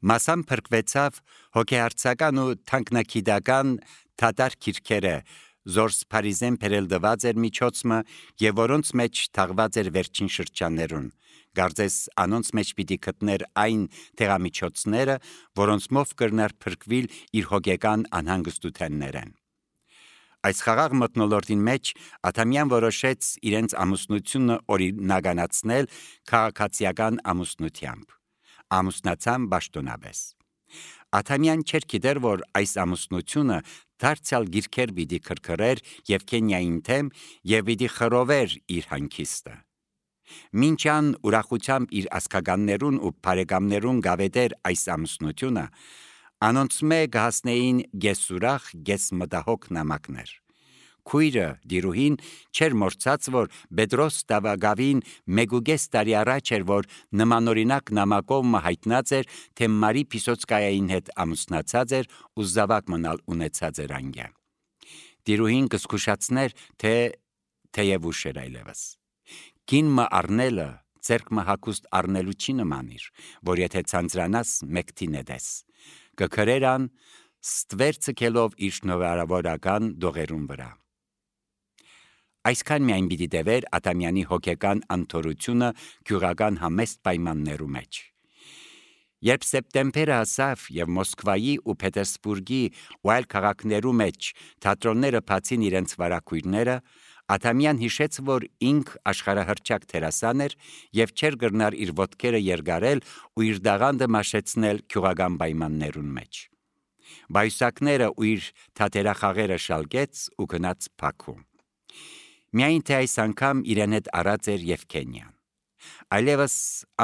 Մասամբ փրկվեցավ հոգեհարցական ու թանկնագիտական թատար քիրքերը, զորս Փարիզեն փերելդված էր միջոցը եւ որոնց մեջ թաղված էր վերջին շրջաններուն, գարձես անոնց մեջ պիտի գտներ այն տեղամիջոցները, որոնցմով կրնար փրկվել իր հոգեկան անհանգստութեններեն։ Այս խաղաղ մթնոլորտին մեջ Աթամյան որոշեց իրենց ամուսնությունը օրինականացնել քաղաքացիական ամուսնությամբ։ Ամուսնացան պաշտոնապես։ Աթամյան չէր գիտեր, որ այս ամուսնությունը դարձյալ գիրքեր պիտի քրքրեր Եվգենիային թեմ եւ պիտի խռովեր իր հանգիստը։ Մինչան ուրախությամբ իր ասկականներուն ու բարեկամներուն գավետեր այս ամուսնությունը, անոնց մեկ հասնեին գեսուրախ գեսմտահոգ նամակներ։ Քույրը դիրուհին չէր մորցած, որ Պետրոս Տավագավին 1.5 տարի առաջ էր, որ նմանօրինակ նամակով հայտնած էր, թե Մարի Պիսոցկայային հետ ամուսնացած էր ու զավակ մնալ ունեցած էր անգյա։ Դիրուհին կզգուշացներ, թե թեև ուշ էր այլևս։ Կինը առնելը ձերքը հագուստ առնելու չի նմանիր, որ եթե ցանցրանաս մեկտին էդես։ Կքրերան ստվերցը կելով իր նորարավորական դողերուն վրա։ Այսքան միայն պիտի դեվեր Աթամյանի հոգեկան անթորությունը գյուղական համեստ պայմաններու մեջ։ Երբ սեպտեմբերը հասավ եւ Մոսկվայի ու Պետերսբուրգի ու այլ քաղաքներու մեջ թատրոնները բացին իրենց վարակույրները, Աթամյան հիշեց, որ ինք աշխարհահռչակ դերասան էր եւ չէր գրնար իր ոտքերը երգարել ու իր դաղանդը մաշեցնել գյուղական պայմաններուն մեջ։ Բայսակները ու իր թատերախաղերը շալգեց ու գնաց Բաքու։ Միայն թե այս անգամ իրեն հետ առած էր Եվգենիան։ Այլևս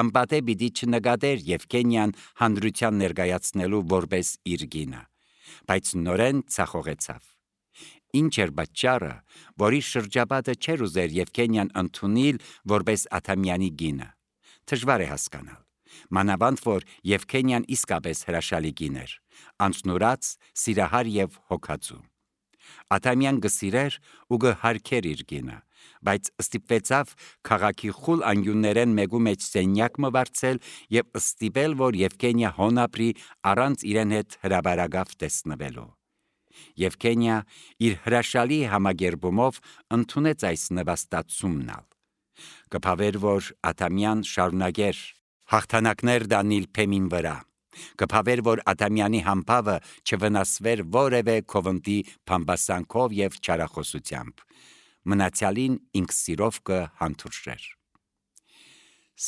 անպատե պիտի չնկատեր Եվգենիան հանրության ներկայացնելու որպես իր գինը, բայց նորեն ցախողեցավ։ Ինչ էր պատճառը, որ իր շրջապատը չէր ուզեր Եվգենիան ընդունել որպես Աթամյանի գինը։ Դժվար է հասկանալ։ Մանավանդ որ Եվգենիան իսկապես հրաշալի գին էր, անցնուրած, սիրահար եւ հոգածու։ Աթամյան գսիրեր ու գհարկեր իր գինը, բայց ստիպվեցավ քաղաքի խուլ անգյուններեն մեկու մեջ սենյակ մվարձել եւ ստիպել, որ Եվգենիա հոնապրի առանց իրեն հետ հրաբարագավ տեսնվելու։ Եվգենիա իր հրաշալի համագերբումով ընդունեց այս նվաստացումնալ։ Կփավեր, որ Աթամյան շարունակեր հաղթանակներ դանել փեմին վրա։ Կփավեր, որ Աթամյանի համբավը չվնասվեր որևէ քովնտի փամբասանքով եւ չարախոսությամբ։ Մնացյալին ինքսիրով կհանդուրժեր։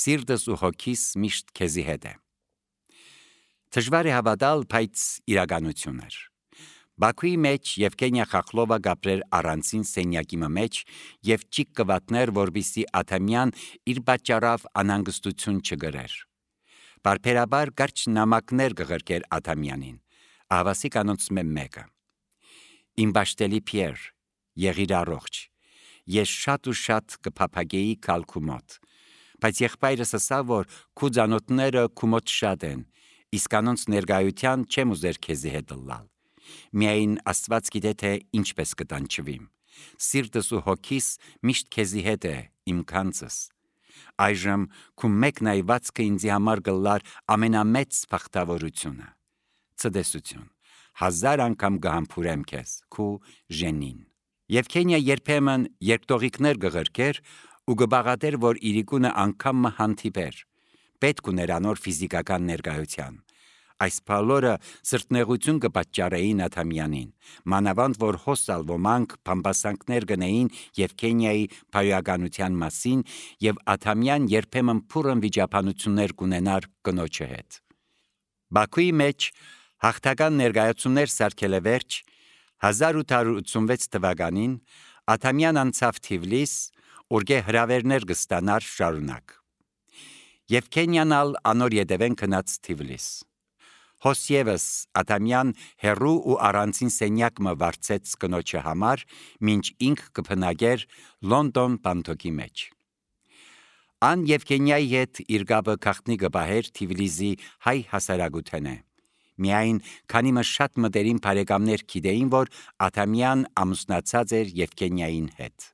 Սիրտս ու հոգիս միշտ քեզի հետ է։ Դժվար է հավատալ, բայց իրականություն էր։ Բաքուի մեջ Եվգենիա Խախլովա գապրեր առանցին սենյակի մեջ եւ ճիք կվատներ, որբիսի Աթամյան իր պատճառավ անհանգստություն չգրեր։ Բարբերաբար կարճ նամակներ կղրկեր Աթամյանին, ահավասի կանոնց մեկը։ Իմ բաշտելի Պիեր, եղիր առողջ, ես շատ ու շատ կփափագեի քալքու մոտ, բայց եղբայրս ասավ, որ քու ծանոթները քու մոտ շատ են, իսկ կանոնց ներկայության չեմ ուզեր քեզի հետ լալ։ Միայն Աստված գիտե թե ինչպես կտանջվիմ։ Սիրտս ու հոգիս միշտ քեզի հետ է, իմ կանցս։ Այժմ քու մեկ նայվածքը ինձի համար գլար ամենամեծ բախտավորությունը։ Ցտեսություն, 1000 անգամ կհամբուրեմ քեզ, քու Ժենին։ Եվգենիա երբեմն երկտողիկներ կղրկեր ու կբաղատեր, որ իրիկունը անգամ հանդիպեր, պետք ուներ անոր ֆիզիկական ներկայության։ Այս բոլորը սրտնեղություն կպատճառեին Աթամյանին, մանավանդ որ հոսալ ոմանք փամբասանքներ գնեին Եվգենիայի բարոյականության մասին եւ Աթամյան երբեմն փուրն վիճաբանություններ կունենար կնոջը հետ։ Բաքուի մեջ հաղթական ներկայացումներ սարքել է վերջ 1886 թվականին Աթամյան անցավ Թիֆլիս, ուր հրավերներ կստանար շարունակ։ Եվգենիան անոր ետևեն գնաց Թիֆլիս։ Հոսևս Աթամյան հերու ու առանցին սենյակ մը վարձեց կնոջը համար, մինչ ինք կփնագեր Լոնդոն բանտոկի մեջ։ Ան Եվգենիայի հետ իր գաբը քաղտնի կբահեր Թիֆլիսի հայ հասարակութենը։ Միայն քանի մը շատ մտերիմ բարեկամներ գիտեին, որ Աթամյան ամուսնացած էր Եվգենիային հետ։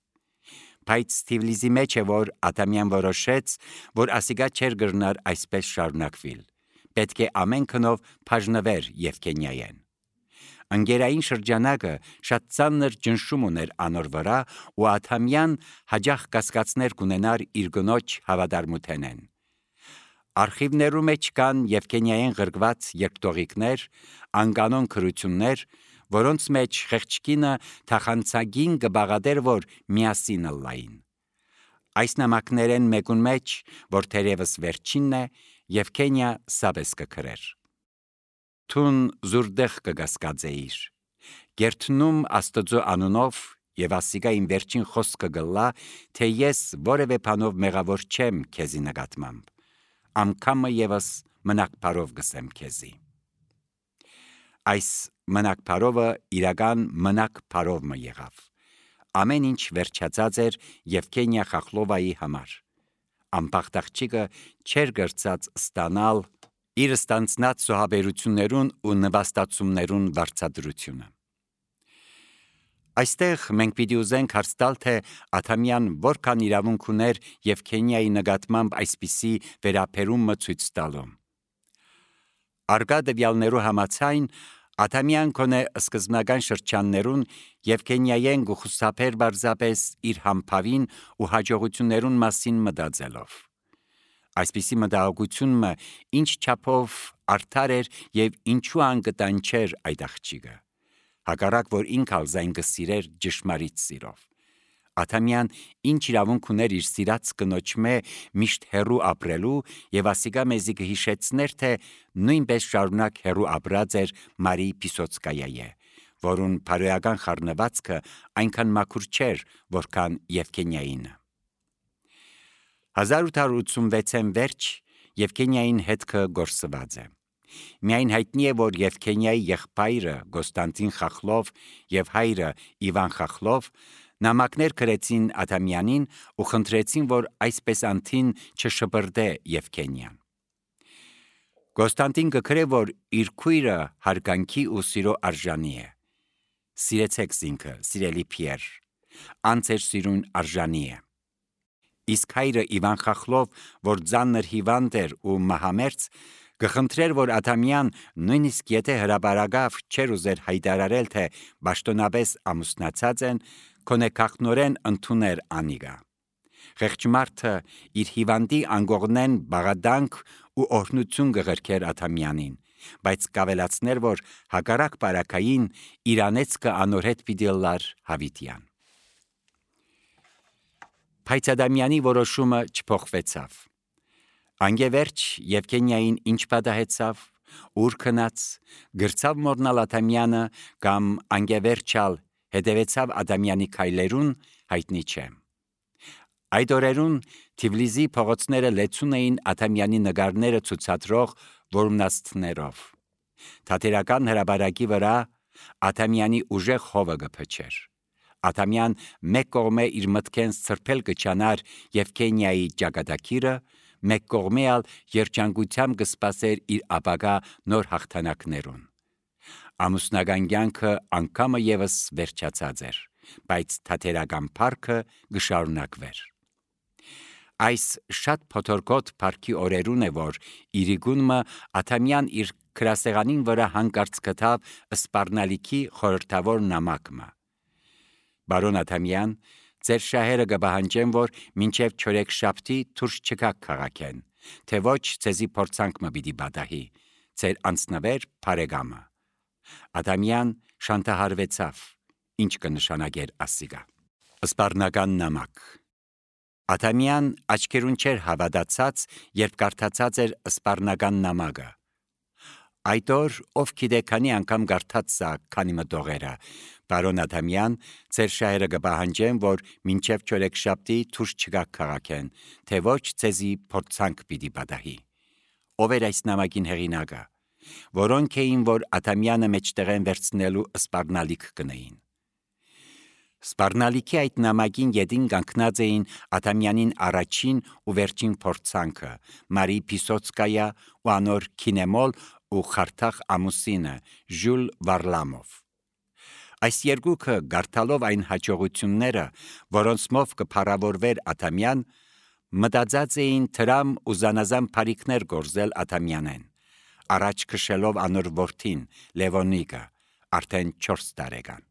Բայց Թիֆլիսի մեջ է, որ Աթամյան որոշեց, որ ասիգա չէր գրնար այսպես շարունակվել։ պետք է ամեն քնով բաժնվեր Եվգենիային։ Ընկերային շրջանակը շատ ծանր ճնշում ուներ անոր վրա ու Աթամյան հաջող կասկածներ կունենար իր գնոջ հավատարմութենեն։ Արխիվներու մեջ կան Եվգենիային գրգված երկտողիկներ, անկանոն քրություններ, որոնց մեջ խեղճկինը թախանցագին կբաղադեր, որ միասին լային։ Այս նամակներեն մեկուն մեջ, որ թերևս վերջինն է, Եվգենիա սաբես կգրեր. Թուն զուրդեղ կգասկածեիր, գերտնում Աստծո անունով եւ ասիգա իմ վերջին խոսքը գլա, թե ես որևէ բանով մեղավոր չեմ քեզի նկատմամբ, անգամը եւս մնակ բարով գսեմ քեզի։ Այս մնակ բարովը իրական մնակ բարով մը եղավ։ Ամեն ինչ վերջացած էր Եվգենիա Խախլովայի համար։ Ամբախտաղջիկը չեր գրծած ստանալ իր ստանցնած սոհաբերություններուն ու նվաստացումներուն վարձատրությունը։ Այստեղ մենք պիտի ուզենք հարց տալ, թե Աթամյան որքան իրավունք ուներ Եվգենիայի նկատմամբ այսպիսի վերաբերումը ցույց տալու։ Արգա դեպյալներու համաձայն Աթամյան կոնե սկզբնական շրջաններուն Եվգենիային գուխուսափեր բարձապես իր համբավին ու հաջողություններուն մասին մտածելով։ Այսպիսի մտահոգությունը ինչ չափով արդար էր եւ ինչու անկտան չէր այդ աղջիկը։ Հակառակ որ ինքալ զայն կսիրեր ճշմարիտ սիրով։ Աթամյան ինչ իրավունք ուներ իր սիրած կնոջմե միշտ հերու ապրելու եւ ասիգա մեզի կհիշեցներ, թե նույնպես շարունակ հերու ապրած էր Մարի Պիսոցկայայե, որուն բարոյական խառնվածքը այնքան մաքուր չէր, որքան Եվգենիայինը։ 1886-ին վերջ Եվգենիային հետքը գործված է։ Միայն հայտնի է, որ Եվգենիայի եղբայրը Կոստանտին Խախլով եւ հայրը Իվան Խախլով նամակներ գրեցին Աթամյանին ու խնդրեցին, որ այսպես անթին չշպրդե Եվգենիան։ Կոստանտին կգրե, որ իր քույրը հարգանքի ու սիրո արժանի է։ Սիրեցեք զինքը, սիրելի Փիեր, անցեր սիրուն արժանի է։ Իսկ հայրը Իվան Խախլով, որ ծանր հիվանդ էր ու մահամերձ, կխնդրեր, որ Աթամյան նույնիսկ եթե հրաբարագավ չէր ուզեր հայտարարել, թե պաշտոնապես ամուսնացած են, կոնե քաղտնորեն ընդուներ անիգա։ Խեղճ մարդը իր հիվանդի անգողնեն բաղադանք ու օրհնություն կղրքեր Աթամյանին, բայց կավելացներ, որ հակառակ բարակային իրանեցկը անորհետ պիտի լար հավիտյան։ Բայց Աթամյանի որոշումը չփոխվեցավ։ Անգևերջ Եվգենիային ինչ պատահեցավ, ուր քնած, գրծավ մորնալ Աթամյանը կամ անգևերջալ հետևեցավ Աթամյանի քայլերուն, հայտնի չէ։ Այդ օրերուն Թիֆլիսի փողոցները լեցուն էին Աթամյանի նկարները ցուցադրող որմնաստներով։ Թատերական հրաբարակի վրա Աթամյանի ուժեղ հովը կփչեր։ Աթամյան մեկ կողմե իր մտքեն սրբել կչանար Եվգենիայի ճակատագիրը, մեկ կողմե ալ երջանկությամբ կսպասեր իր ապագա նոր հաղթանակներուն։ Ամուսնական կյանքը անգամը եւս վերջացած էր, բայց թատերական փառքը կշարունակվեր։ Այս շատ փոթորկոտ փառքի օրերուն է, որ Իրիգունը Աթամյան իր գրասեղանին վրա հանկարծ գտավ սպառնալիքի խորհրդավոր նամակը։ Բարոն Աթամյան, ձեր շահերը կպահանջեն, որ մինչև չորեքշաբթի դուրս չգաք քաղաքեն, թե ոչ ձեզի փորձանք պիտի պատահի, ձեր անձնվեր բարեկամը։ Աթամյան շանտահարվեցավ, ինչ կնշանակեր ասիգա։ Սպառնական նամակ։ Աթամյան աչքերուն չէր հավատացած, երբ կարդացած էր սպառնական նամակը։ Այդ օր ով գիտե քանի անգամ կարդաց սա քանի մտողերը։ Բարոն Աթամյան, ձեր շահերը կպահանջեն, որ մինչև չորեքշաբթի դուրս չգաք քաղաքեն, թե ոչ ձեզի փորձանք պիտի պատահի։ Ով էր այս նամակին հեղինակը, որոնք էին, որ Աթամյանը մեջտեղեն վերցնելու սպառնալիք կնեին։ Սպառնալիքի այդ նամակին ետին կանգնած էին Աթամյանին առաջին ու վերջին փորձանքը, Մարի Պիսոցկայա ու անոր Քինեմոլ ու Խարթախ ամուսինը Ժյուլ Վարլամով։ Այս երկուքը գարտալով այն հաջողությունները, որոնցմով կփառավորվեր Աթամյան, մտածած էին թրամ ու զանազան բարիքներ գործել Աթամյանեն, առաջ քշելով անոր որդին Լևոնիկը արդեն 4 տարեկան։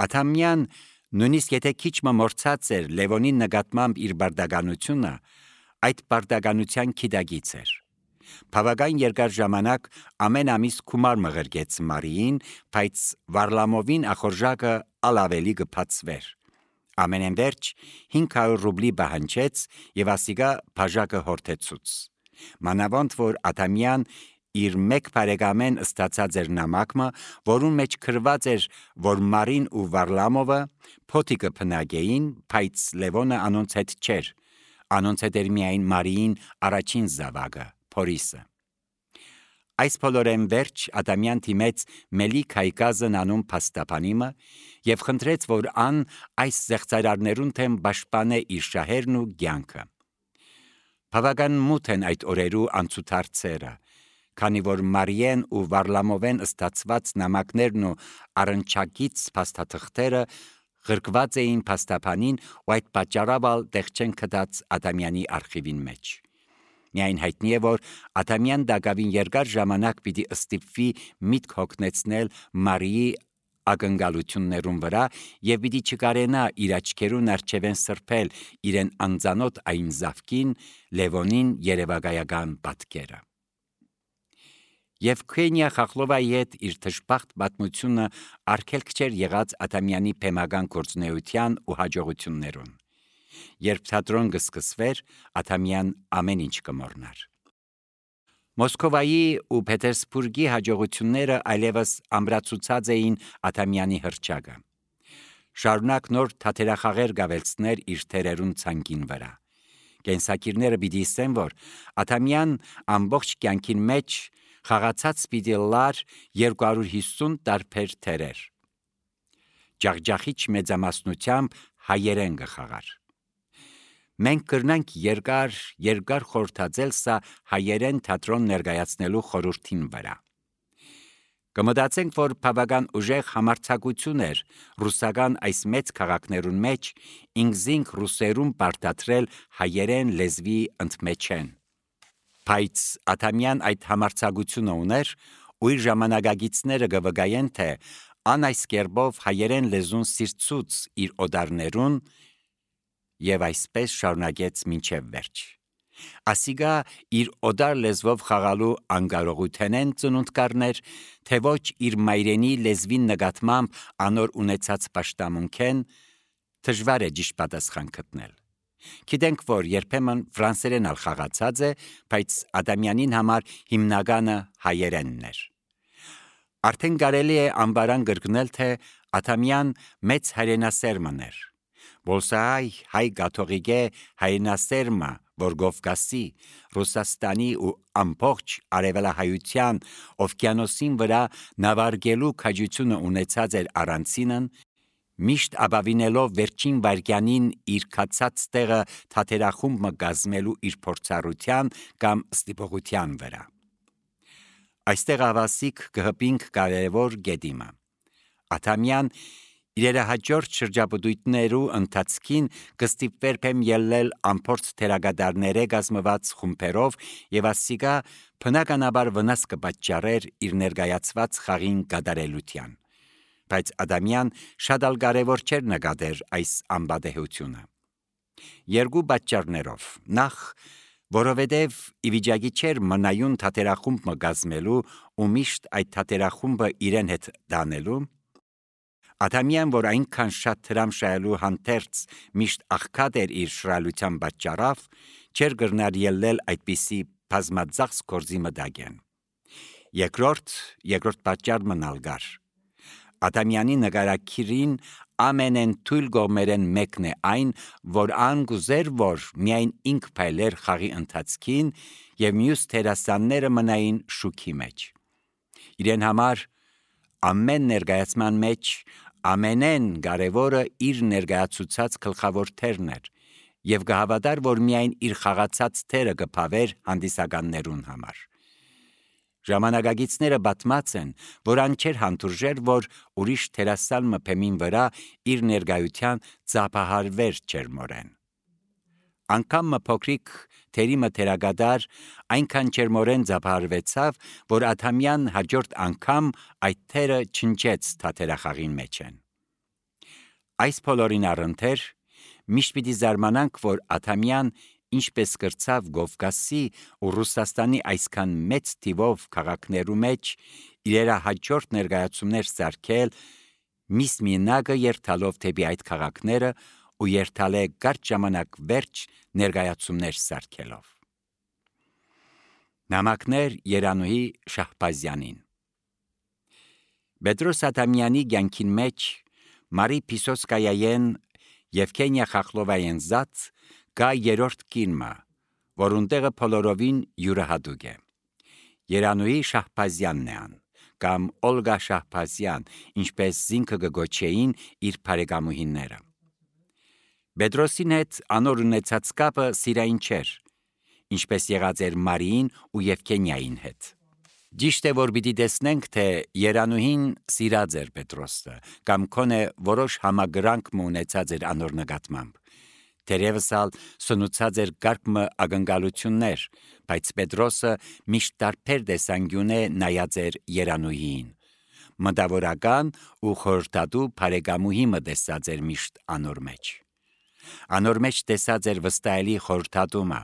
Աթամյան նույնիսկ եթե քիչ մորցած էր Լևոնի նկատմամբ իր բարդականությունը, այդ բարդականության քիդագից էր։ Բավական երկար ժամանակ ամեն ամիս գումար մղրգեց Մարիին, բայց Վարլամովին ախորժակը ավելի կփածվեր։ Ամենեն վերջ 500 ռուբլի բահանջեց եւ ասիգա բաժակը հորթեցուց։ Մանավանդ որ Աթամյան իր մեկ բարեկամեն ստացած էր նամակը, որուն մեջ գրված էր, որ Մարին ու Վարլամովը փոթիկը փնագեին, բայց Լևոնը անոնց հետ չէր։ Անոնց հետ էր միայն Մարիին առաջին զավակը, Փորիսը։ Այս բոլորեն վերջ Ադամյան թիմեց Մելիք Հայկազն անուն փաստաբանիմը եւ խնդրեց, որ ան այս զեղծարարներուն թեմ պաշտպանե իր շահերն ու կյանքը։ Բավական մութ են այդ օրերու անցուդարձերը, քանի որ Մարիեն ու Վարլամովեն ստացված նամակներն ու առնչակից փաստաթղթերը գրկված էին փաստաբանին ու այդ պատճառով տեղ չեն գտած Ադամյանի արխիվին մեջ։ Միայն հայտնի է, որ Ադամյան դակավին երկար ժամանակ պիտի ստիպվի միտք հոգնեցնել Մարիի ակնկալություններուն վրա եւ պիտի չկարենա իր աչքերուն առջևեն սրբել իրեն անծանոթ այն զավկին Լևոնին երևակայական պատկերը։ Եվգենիա Խախլովայի հետ իր թշպախտ պատմությունը արգելք չէր եղած Ադամյանի փեմական գործունեության ու հաջողություններուն։ Երբ թատրոն կսկսվեր, Ադամյան ամեն ինչ կմոռնար։ Մոսկովայի ու Պետերսբուրգի հաջողությունները այլևս ամրացուցած էին Ադամյանի հռչակը։ Շարունակ նոր թատերախաղեր գավելցներ իր թերերուն ցանկին վրա։ Կենսակիրները պիտի ասեն, որ Ադամյան ամբողջ կյանքին մեջ խաղացած պիտի լար 250 տարբեր թերեր։ Ջախջախիչ մեծամասնությամբ հայերեն կխաղար։ Մենք կրնանք երկար խորհրդածել սա հայերեն թատրոն ներկայացնելու խորհրդին վրա։ Կմտածենք, որ բավական ուժեղ համարձակություն էր ռուսական այս մեծ քաղաքներուն մեջ ինքզինք ռուսերուն պարտադրել հայերեն լեզվի ընդմեջեն։ Բայց Ադամյան այդ համարձակությունը ուներ ու իր ժամանակագիցները կվկայեն, թե ան այս կերպով հայերեն լեզուն սիրծուց իր օդարներուն եւ այսպես շարունակեց մինչև վերջ։ Ասիգա իր օդար լեզվով խաղալու անկարողութենեն ծնունդ կառներ, թե ոչ իր մայրենի լեզվին նկատմամբ անոր ունեցած պաշտամունքեն դժվար է ճիշտ պատասխան գտնել։ Գիտենք, որ երբեմն ֆրանսերեն ալ խաղացած է, բայց Ադամյանին համար հիմնականը հայերենն էր։ Արդեն կարելի է անբարան գրկնել, թե Ադամյան մեծ հայրենասերմն էր։ Բոլսահայ կաթողիկե հայրենասերմը, որ Կովկասի, Ռուսաստանի ու ամբողջ արևելահայության օվկիանոսին վրա նավարկելու քաջությունը ունեցած էր առանցինն, միշտ ապավինելով վերջին վայրկյանին իր կացած տեղը թատերախումբը կազմելու իր փորձառության կամ ստիպողության վրա։ Այստեղ ավասիկ կհպինք կարևոր գետիմը։ Ադամյան իր հաջորդ շրջապտույտներու ընթացքին կստիպվեր փեմ ելնել ամփորձ թերագադարները կազմված խումբերով եւ ասիգա բնականաբար վնաս կպատճառեր իր ներկայացված խաղին կատարելության։ Բայց Ադամյան շատ ալ կարևոր չէր նկատեր այս անբադեհությունը։ Երկու պատճառներով։ Նախ, որովհետև ի վիճակի չէր մնայուն թատերախումբը կազմելու ու միշտ այդ թատերախումբը իրեն հետ դանելու։ Ադամյան, որ այնքան շատ հրամշայելու հանդերձ միշտ աղքատ էր իր շռայլության պատճառով, չէր կրնար ելնել այդպիսի բազմածախս գործի մտագեն։ Երկրորդ պատճառն ալ կար։ Ադամյանի նկարակիրին ամենեն թույլ կողմերեն մեկն է այն, որ ան գուզեր, որ միայն ինք փայլեր խաղի ընթացքին եւ մյուս թերասանները մնային շուքի մեջ։ Իրեն համար ամեն ներկայացման մեջ ամենեն կարևորը իր ներկայացուցած գլխավոր թերն էր եւ կհավատար, որ միայն իր խաղացած թերը կփավեր հանդիսականներուն համար։ Ժամանակագիցները պատմած են, որ ան չէր հանդուրժեր, որ ուրիշ թերասան մփեմին վրա իր ներկայության ծափահարվեր չեր մորեն։ Անկամ փոքրիկ թերիմը թերագադար այնքան ջերմորեն ձապահարվեցավ, որ Աթամյան հաջորդ անգամ այդ թերը չնչեց թաթերախաղին մեջ են։ Այս բոլորին առընթեր միշտ պիտի զարմանանք, որ Աթամյան ինչպես կրծավ Կովկասի ու Ռուսաստանի այսքան մեծ թիվով քաղաքներու մեջ իրերա հաջորդ ներկայացումներ սարքել, միս մինակը երթալով թեպի այդ քաղաքները ու երթալ է կարճ ժամանակ վերջ ներկայացումներ սարքելով։ Նամակներ Երանուհի Շահբազյանին։ Պետրոս Աթամյանի կյանքին մեջ Մարի Պիսոսկայայեն Եվգենիա Խախլովայեն զած կա երրորդ կինը, որուն տեղը բոլորովին յուրահատուկ է։ Երանուհի Շահբազյանն է ան, կամ Օլգա Շահբազյան, ինչպես զինքը կգոչեին իր բարեկամուհիները։ Պետրոսին հետ անոր ունեցած կապը սիրային չէր, ինչպես եղած էր Մարիին ու Եվգենիային հետ։ Ճիշտ է, որ պիտի տեսնենք, թե Երանուհին սիրած էր Պետրոսը, կամ քոնե որոշ համագրանք ունեցած էր անոր նկատմամբ։ Թերևս ալ սնուցած էր կարգմը ակնկալություններ, բայց Պետրոսը միշտ տարբեր տեսանկյուն է նայած էր Երանուհիին։ Մտավորական ու խորհրդատու բարեկամուհի մը տեսած էր միշտ անոր մեջ։ Անոր մեջ տեսած էր վստահելի խորհրդատումը,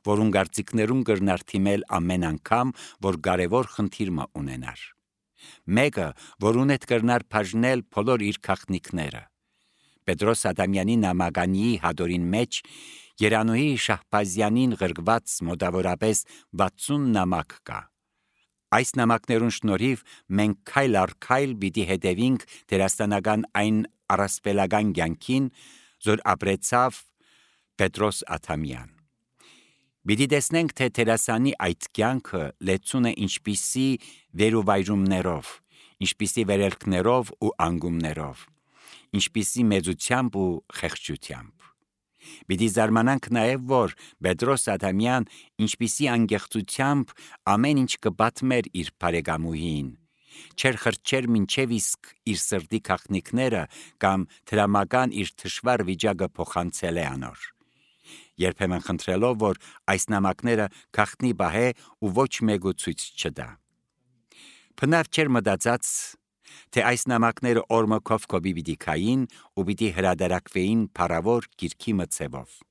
որուն կարծիքներուն կրնար թիմել ամեն անգամ, որ կարևոր խնդիր մը ունենար։ Մեկը, որուն հետ կրնար բաժնել բոլոր իր գաղտնիքները։ Պետրոս Աթամյանի նամականի հատորին մեջ Երանուհի Շահբազյանին գրգված մոտավորապես 60 նամակ կա։ Այս նամակներուն շնորհիվ մենք քայլ առ քայլ պիտի հետևենք դերասանական այն առասպելական կյանքին, որ ապրեցավ Պետրոս Աթամյան։ Պիտի տեսնենք, թե դերասանի այդ կյանքը լեցուն է ինչպիսի վերուվայրումներով, ինչպիսի վերելքներով ու անգումներով, ինչպիսի մեծությամբ ու խեղճությամբ։ Պիտի զարմանանք նաև, որ Պետրոս Աթամյան ինչպիսի անկեղծությամբ ամեն ինչ կպատմեր իր բարեկամուհին, չեր խրճեր մինչև իսկ իր սրտի գաղտնիքները կամ դրամական իր թշվառ վիճակը փոխանցել է անոր։ Երբեմն խնդրելով, որ այս նամակները գաղտնի բահե ու ոչ մեկու ցույց չտա։ Բնավ չէր մտածած, թե այս նամակները օրմը կովկոբի պիտի քային ու պիտի հրադարակվեին փառավոր գիրքի մցևով։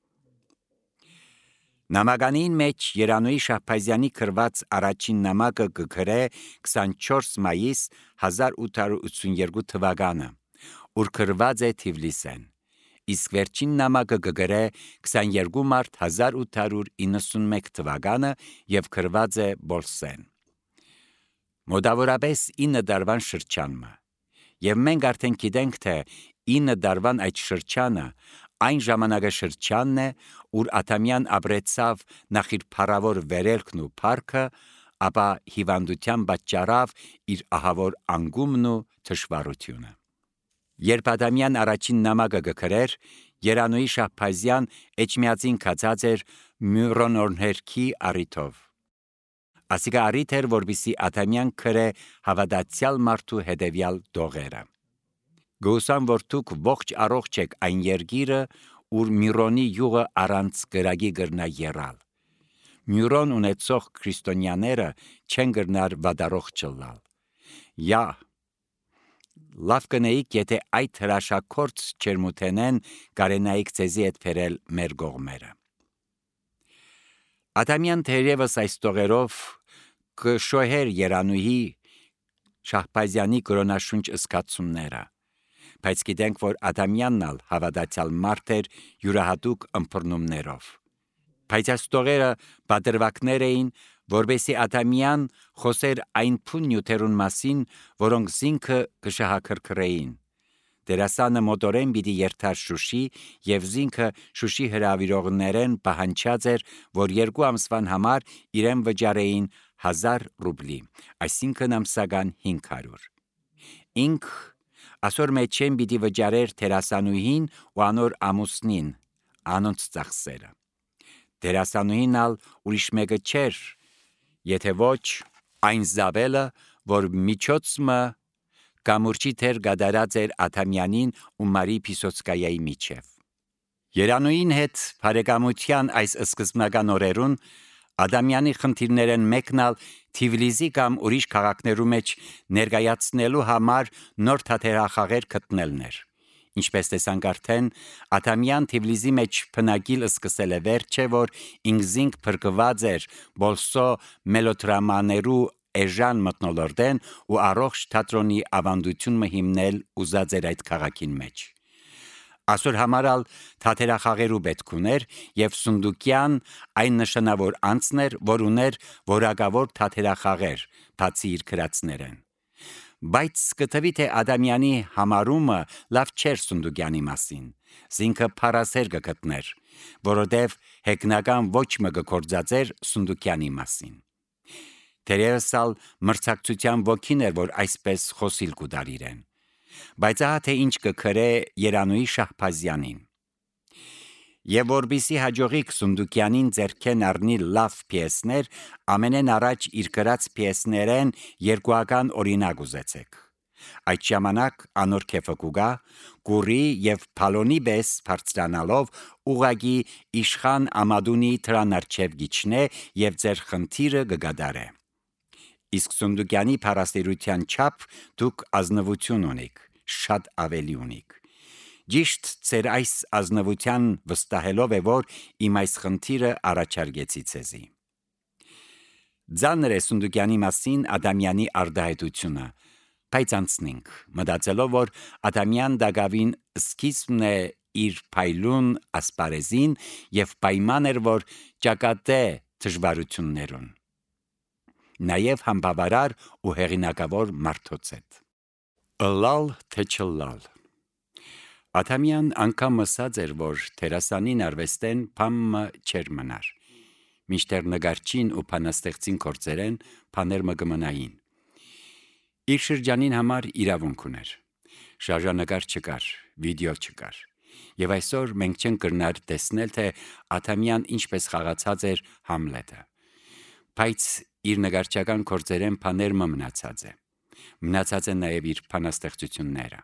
Նամականին մեջ Երանուհի Շահբազյանի գրված առաջին նամակը կգրե 24 մայիս 1882 թվականը, ուր գրված է Թիֆլիսեն, իսկ վերջին նամակը կգրե 22 մարտ 1891 թվականը և գրված է Բոլսեն։ Մոտավորապես 9 տարվան շրջանը, և մենք արդեն գիտենք, թե 9 տարվան այդ շրջանը այն ժամանակաշրջանն է, ուր Աթամյան ապրեցավ նախ իր փառավոր վերելքն ու փառքը, ապա հիվանդության պատճառավ իր ահավոր անգումն ու թշվառությունը։ Երբ Աթամյան առաջին նամակը կգրեր, Երանուհի Շահբազյան էջմիածին կացած էր Մյուրոնորհերքի առիթով։ Ասիկա առիթ էր, որպեսզի Աթամյան գրե հավատացյալ մարդու հետևյալ դողերը։ Գուսան, որ դուք ողջ առողջ եք այն երգիրը, ուր Միրոնի յուղը առանց գրագի գրնա եռալ։ Մյուրոն ունեցող քրիստոնյաները չեն գրնար վադարող չլալ։ Յա, լավ կնեիք, եթե այդ հրաշակորց չերմութենեն կարենայիք ձեզի հետ փերել մեր գողմերը։ Աթամյան թերևս այս տողերով կշոհեր Երանուհի Շահբազյանի կրոնաշունչ ըսկացումները, բայց գիտենք, որ Աթամյանն ալ հավատացյալ մարդ էր յուրահատուկ ըմբռնումներով։ Բայց այս տողերը պատրվակներ էին, որպեսզի Աթամյան խոսեր այն փուն նյութերուն մասին, որոնք զինքը կշահաքրքրեին։ Դերասանը մոտորեն պիտի երթար Շուշի, և զինքը Շուշի հրավիրողներեն պահանջած էր, որ 2 ամսվան համար իրեն վճարեին 1000 ռուբլի, այսինքն ամսական 500։ Ինք ասոր մեջեն պիտի վճարեր դերասանուհին ու անոր ամուսնին, անոնց ծախսերը։ Դերասանուհին ալ ուրիշ մեկը չէր, եթե ոչ այն Զաբելը, որ միջոցմը կամուրջի թեր գադարած էր Աթամյանին ու Մարի Պիսոցկայայի միջև։ Երանուին հետ բարեկամության այս սկզբնական օրերուն Ադամյանի խնդիրներն մեկնալ Թիֆլիսի կամ ուրիշ քաղաքներու մեջ ներկայացնելու համար նոր թատերախաղեր գտնելն էր։ Ինչպես տեսանք արդեն, Ադամյան Թիֆլիսի մեջ բնակիլ սկսել է վերջը, որ ինքզինք փրկված էր բոլսո մելոդրամաներու էժան մտնոլորտեն ու առողջ թատրոնի ավանդություն հիմնել ուզած էր այդ քաղաքին մեջ։ Այսօր համարալ թատերախաղերու պետք ուներ եւ Սունդուկյան այն նշանավոր անձներ, որ ուներ որակավոր թատերախաղեր, բացի իր քրածներեն։ Բայց կտվի թե Ադամյանի համարումը լավ չէր Սունդուկյանի մասին, զինքը փարասեր կգտներ, որովհետև հեգնական ոչ մը գործածեր Սունդուկյանի մասին։ Թերևս ալ մրցակցության ոգին էր, որ այսպես խոսիլ կուդարիրեն, բայց ահա թե ինչ կգրե Երանուի Շահբազյանին։ Եվ որբիսի հաջողիկ Սունդուկյանին ձեռքեն առնի լավ պիեսներ, ամենեն առաջ իր գրած պիեսներեն երկուական օրինակ ուզեցեք։ Այդ ժամանակ անոր քեֆը կուգա, գուրի եւ փալոնի բես բարձրանալով ուղագի իշխան Ամադունի թրանարչև գիչնե եւ ձեր խնդիրը կգադարե։ Իսկ Սունդուկյանի փարասերության չափ դուք ազնվություն ունիք, շատ ավելի ունիք։ Ճիշտ ծեր այս ազնվության վստահելով է, որ իմ այս խնդիրը առաջարկեցի ցեզի։ Ձանր է Սունդուկյանի մասին Ադամյանի արդահայտությունը, բայց անցնենք, մտածելով, որ Ադամյան դագավին սկիզբն է իր փայլուն ասպարեզին եւ պայման էր, որ ճակատե դժվարություններուն։ Նաեւ համբավարար ու հեղինակավոր մարդոց հետ։ Ըլլալ թե չըլլալ։ Ադամյան անգամ ասած էր, որ թերասանին արվեստեն փամը չեր մնար։ Միշտեր նգարչին ու փանաստեղծին կործերեն փաներ մը կմնային։ Իր շրջանին համար իրավունք ուներ։ Շարժանկար չկար, վիդեո չկար։ Եվ այսօր մենք չենք կրնար տեսնել, թե Ադամյան ինչպես խաղացած էր Համլետը։ Բայց իր նգարչական կործերեն փաներ մը մնացած է։ Մնացած են նաև իր փանաստեղծությունները։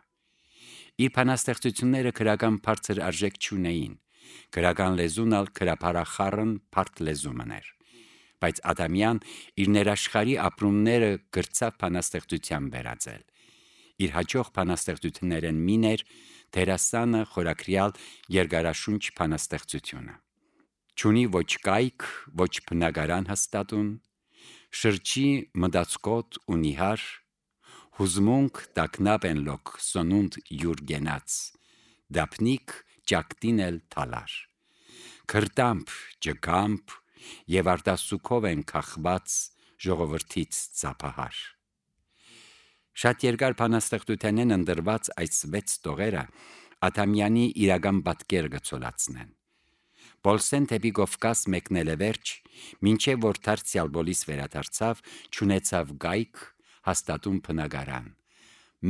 Իր փանաստեղծությունները քրական բարձր արժեք չունեին, քրական լեզուն ալ քրափարախառն բարդ լեզումն էր, բայց Ադամյան իր ներաշխարի ապրումները գրծավ փանաստեղծության վերածել։ Իր հաջող փանաստեղծություններն մին էր դերասանը խորակրյալ երկարաշունչ փանաստեղծությունը։ Չունի ոչ կայք, ոչ բնագարան հաստատուն, շրջի մտածկոտ ու նիհար, հուզմունք տակնապ են լոք սոնունդ յուր գենաց, դապնիկ ճակտին էլ թալար, քրտամփ ջկամփ եւ արտասուքով են կախված ժողովրդից ծափահար։ Շատ երկար փանաստեղծության են ընդրված այս 6 տողերը Ադամյանի իրական պատկեր գծոլացնեն։ Բոլսեն թեպի Կովկաս մեկնել է վերջ, մինչև որ դարձյալ բոլիս վերադարձավ, չունեցավ գայք, հաստատուն բնագարան։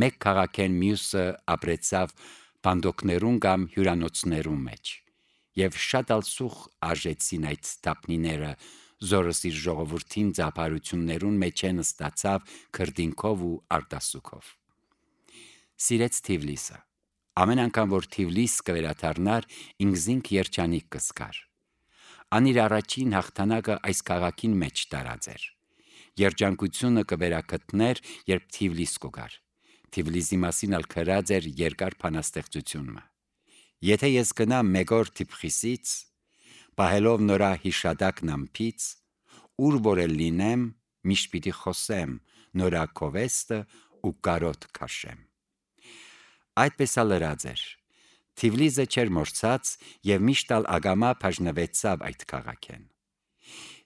Մեկ քաղաքեն մյուսը ապրեցավ բանդոկներուն կամ հյուրանոցներուն մեջ, եւ շատ ալսուխ արժեցին այդ տապնիները, զորս իր ժողովրդին ծափարություններուն մեջ են ստացավ քրդինքով ու արտասուքով։ Սիրեց Թիֆլիսը։ Ամեն անգամ, որ Թիֆլիս կվերադառնար, ինքզինք երջանիկ կզգար։ Անիր առաջին հաղթանակը այս քաղաքին մեջ տարած էր։ Երջանկությունը կվերակտներ, երբ Թիֆլիս կգար։ Թիֆլիսի մասին ալ գրած էր երկար փանաստեղծությունը։ Եթե ես գնամ մեկ օր Թիֆլիսից, պահելով նորա հիշադակն ամփից, ուր որ էլ լինեմ, միշտ պիտի խոսեմ նորա կովեստը ու կարոտ քաշեմ։ Այդպես ալ լրած էր։ Թիֆլիսը չէր մորցած եւ միշտ ալ ագամա բաժնվեցավ այդ քաղաքեն։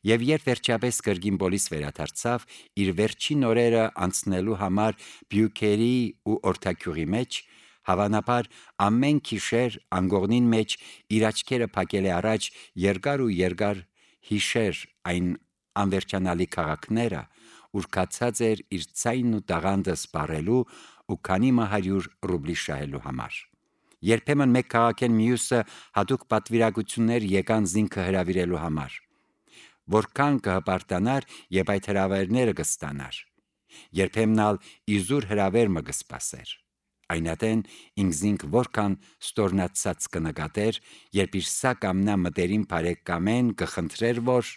Եվ երբ վերջապես կրգին բոլիս վերադարձավ, իր վերջին օրերը անցնելու համար Բյուքերի ու Օրթակյուղի մեջ, հավանաբար ամեն գիշեր անգողնին մեջ իր աչքերը փակել է առաջ երկար հիշեր այն անվերջանալի քաղաքները, ուր կացած էր իր ցայնն ու տաղանդը սպառելու ու քանի 100 ռուբլի շահելու համար։ Երբեմն մեկ քաղաքեն մյուսը հատուկ պատվիրակություններ եկան զինքը հրավիրելու համար։ Որքան կհպարտանար եւ այդ հրավերները կստանար։ Երբեմն ալ իզուր հրավեր մը կսպասեր։ այնատեն ինքզինք որքան ստորնացած կնկատեր, երբ իր սա կամնա մտերին բարեկամեն կխնդրեր, որ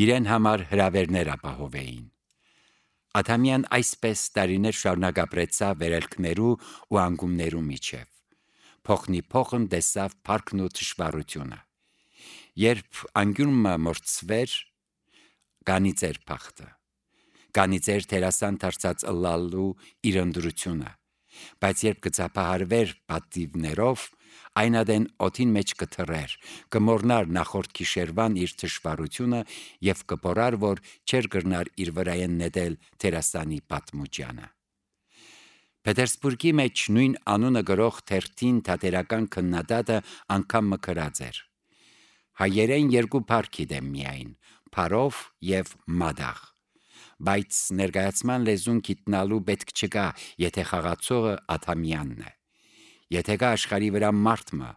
իրեն համար հրավերներ ապահովեին։ Ադամյան այսպես տարիներ շարունակ ապրեցավ վերելքներու ու անգումներու միջև։ Փոխնի փոխն տեսավ փառքն ու թշվառությունը։ Երբ անգյուրը մորցվեր, գանիծեր փախտը, գանիծեր թերասան դարձած ըլլալու իր ընդրությունը, բայց երբ կծափահարվեր պատիվներով, այնադեն օդին մեջ կթռեր, կմոռնար նախորդ գիշերվան իր թշվառությունը եւ կփորար, որ չեր կրնար իր վրայեն նետել թերասանի պատմուճանը։ Պետերսբուրգի մեջ նույն անունը գրող թերթին թատերական քննադատը անգամ մկրած էր. հայերեն երկու փառք դեմ միայն, փարով եւ մադաղ, բայց ներկայացման լեզուն գիտնալու պետք չկա, եթե խաղացողը Ադամյանն է։ Եթե կա աշխարհի վրա մարդը,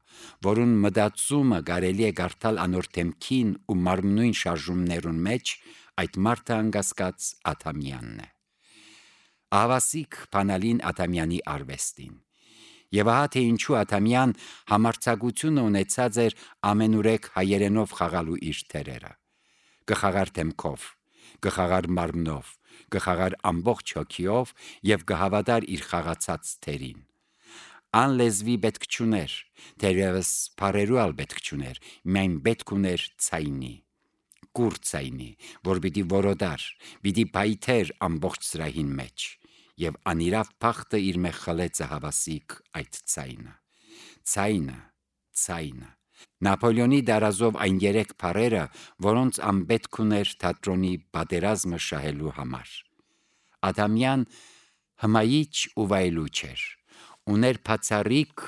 որուն մտածումը կարելի է կարդալ անոր դեմքին ու մարմնույն շարժումներուն մեջ, այդ մարդը անկասկած Ադամյանն է։ Ահավասիկ բանալին Ադամյանի արվեստին։ Եվ ահա թե ինչու Ադամյան համարձակությունը ունեցած էր ամենուրեք հայերենով խաղալու իր թերերը։ Կխաղար դեմքով, կխաղար մարմնով, կխաղար ամբողջ հոգիով եւ կհավատար իր խաղացած թերին։ Ան լեզվի պետք չուներ, թերևս բարերու ալ պետք չուներ, միայն պետք ուներ ցայնի, կուր ցայնի, որ պիտի որոդար, պիտի բայթեր ամբողջ սրահին մեջ, եւ անիրավ փախտը իր մեջ խլեց հավասիկ այդ ցայնը։ Նապոլեոնի դարազով այն երեք բարերը, որոնց անպետք ուներ թատրոնի պատերազմը շահելու համար։ Ադամյան հմայիչ ու վայելուչ էր, ուներ բացառիկ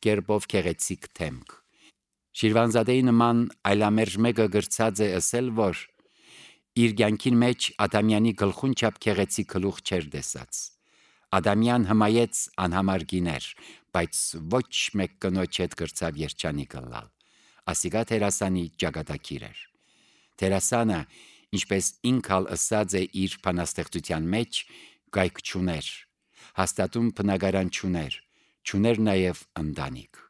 կերպով գեղեցիկ դեմք։ Շիրվանզադեի նման այլամերժ մեկը գրծած է ասել, որ իր կյանքին մեջ Ադամյանի գլխուն չափ գեղեցիկ գլուխ չէր տեսած։ Ադամյան հմայեց անհամար գիներ, բայց ոչ մեկ կնոջ հետ գրծավ երջանիկ ըլլալ։ Ասիկա թերասանի ճակատագիր էր։ Թերասանը, ինչպես ինքալ ըսած է իր բանաստեղծության մեջ, գայք չուներ, հաստատում բնակարան չուներ նաև ընտանիք։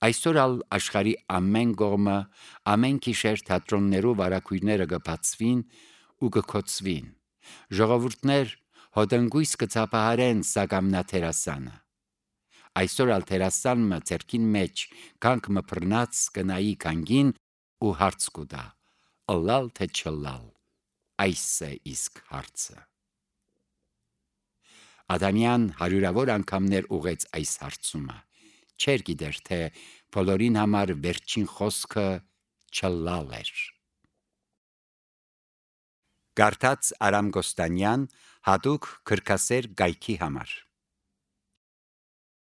Այսօր ալ աշխարհի ամեն կողմը, ամեն գիշեր թատրոններու վարակույրները կբացվին ու կքոցվին։ Ժողովուրդներ հոդնգույս կծափահարեն սակամնա թերասանը։ Այսօր ալ թերասանը ցերքին մեջ կանք մփռնած կնայի կանգին ու հարց կուտա. ըլլալ թե չըլլալ, այս է իսկ հարցը։ Ադամյան հարյուրավոր անգամներ ուղեց այս հարցումը, չէր գիտեր, թե բոլորին համար վերջին խոսքը չըլլալ էր։ Գարթած Արամ Գոստանյան, հատուկ քրքասեր գայքի համար։